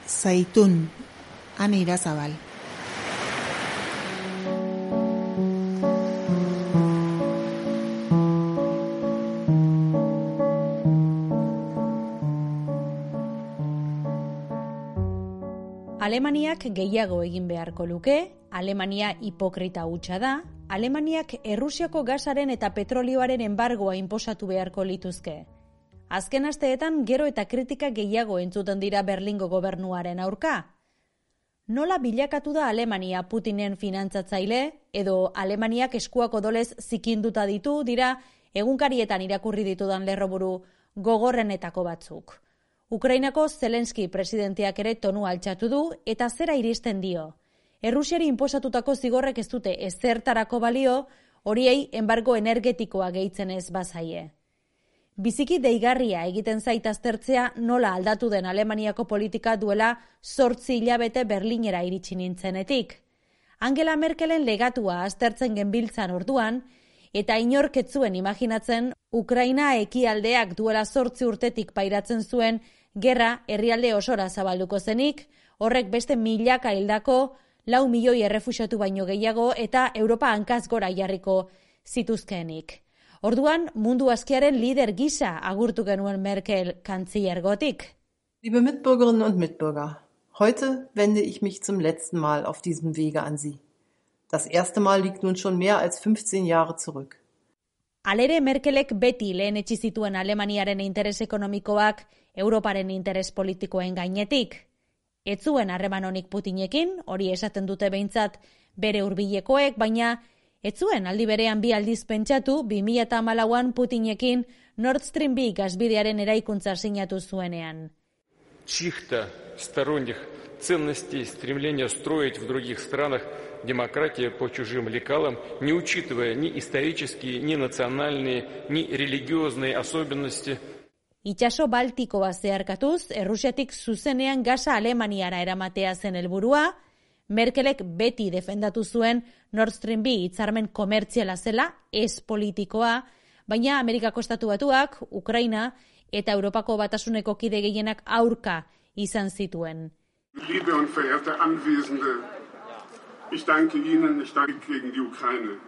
Zaitun, Ane Irazabal. Alemaniak gehiago egin beharko luke, Alemania hipokrita hutsa da, Alemaniak Errusiako gasaren eta petrolioaren enbargoa inposatu beharko lituzke. Azken asteetan gero eta kritika gehiago entzuten dira Berlingo gobernuaren aurka. Nola bilakatu da Alemania Putinen finantzatzaile, edo Alemaniak eskuak odolez zikinduta ditu dira egunkarietan irakurri ditudan lerroburu gogorrenetako batzuk. Ukrainako Zelenski presidenteak ere tonu altxatu du eta zera iristen dio. Errusiari inposatutako zigorrek ez dute ezertarako balio, horiei enbargo energetikoa gehitzen ez bazaie. Biziki deigarria egiten zait aztertzea nola aldatu den Alemaniako politika duela 8 hilabete Berlinera iritsi nintzenetik. Angela Merkelen legatua aztertzen genbiltzan orduan, eta inork ez zuen imaginatzen Ukraina ekialdeak duela 8 urtetik pairatzen zuen gerra herrialde osora zabalduko zenik, horrek beste milaka hildako, 4 milioi errefuxiatu baino gehiago eta Europa hankaz gora jarriko zituzkeenik. Orduan, mundu askiaren lider gisa agurtu genuen Merkel kantzillergotik. Liebe Mitbürgerinnen und Mitbürger, heute wende ich mich zum letzten Mal auf diesem Wege an Sie. Das erste Mal liegt nun schon mehr als 15 Jahre zurück. Halere Merkelek beti lehenetsi zituen Alemaniaren interes ekonomikoak Europaren interes politikoen gainetik. Ez zuen harreman onik Putinekin, hori esaten dute behintzat bere hurbilekoek, baina ez zuen aldi berean 2 aldiz pentsatu 2014an Putinekin Nord Stream 2 gasbidearen eraikuntza sinatu zuenean. Чьих-то сторонних ценностей, стремления строить в других странах демократию по чужим лекалам, не учитывая ни исторические, ни национальные, ни религиозные особенности. Itsaso Baltikoa zeharkatuz, Errusiatik zuzenean gasa Alemaniara eramatea zen helburua, Merkelek beti defendatu zuen Nord Stream 2 hitzarmen komertziala zela, ez politikoa, baina Amerikako Estatu Batuak, Ukraina eta Europako Batasuneko kide gehienak aurka izan zituen. Liebe und verehrte Anwesende, ich danke Ihnen, ich danke gegen die Ukraine.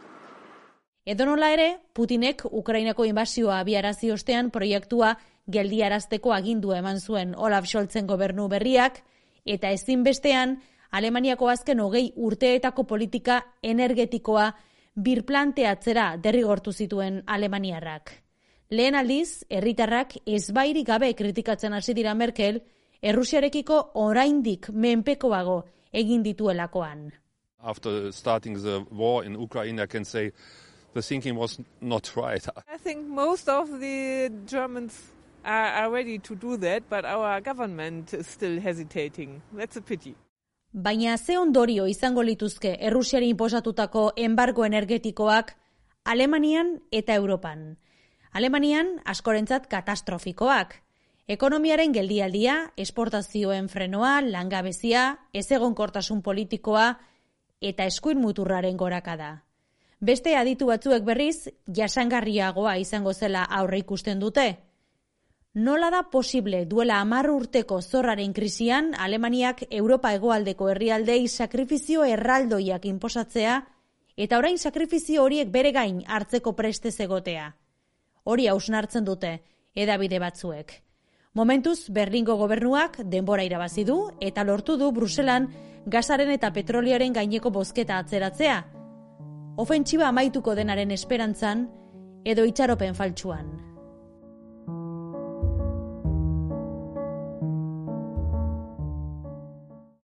Edonola ere, Putinek Ukrainako inbasioa abiarazi ostean proiektua geldiarazteko agindua eman zuen Olaf Scholzen gobernu berriak, eta ezinbestean Alemaniako azken 20 urteetako politika energetikoa birplanteatzera derrigortu zituen alemaniarrak. Lehen aldiz, herritarrak ezbairik gabe kritikatzen hasi dira Merkel, Errusiarekiko oraindik menpekoago egin dituelakoan. After starting the war in Ukraine, I can say the thinking was not right. I think most of the Germans are ready to do that, but our government is still hesitating. That's a pity. Baina ze ondorio izango lituzke Errusiari inposatutako enbargo energetikoak Alemanian eta Europan. Alemanian askorentzat katastrofikoak. Ekonomiaren geldialdia, esportazioen frenoa, langabezia, ezegonkortasun politikoa eta eskuin muturraren gorakada. Beste aditu batzuek berriz, jasangarriagoa izango zela aurre ikusten dute. Nola da posible duela 10 urteko zorraren krisian Alemaniak Europa hegoaldeko herrialdei sakrifizio erraldoiak inposatzea eta orain sakrifizio horiek bere gain hartzeko preste egotea. Hori hausnartzen dute hedabide batzuek. Momentuz Berlingo gobernuak denbora irabazi du eta lortu du Bruselan gasaren eta petrolioaren gaineko bozketa atzeratzea. Ofentsiba amaituko denaren esperantzan edo itxaropen faltsuan.